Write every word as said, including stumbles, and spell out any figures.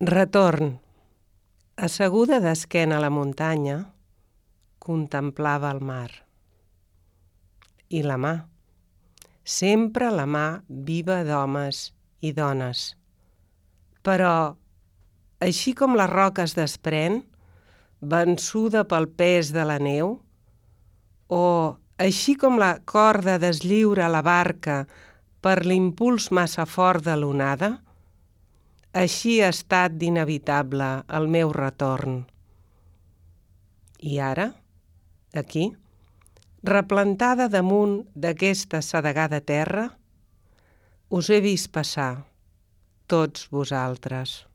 Retorn. Asseguda d'esquena a la muntanya, contemplava el mar. I la mà. Sempre la mà viva d'homes i dones. Però, així com la roca es desprèn, vençuda pel pes de la neu, o així com la corda deslliura la barca per l'impuls massa fort de l'onada, així ha estat d'inevitable el meu retorn. I ara, aquí, replantada damunt d'aquesta sedegada terra, us he vist passar, tots vosaltres.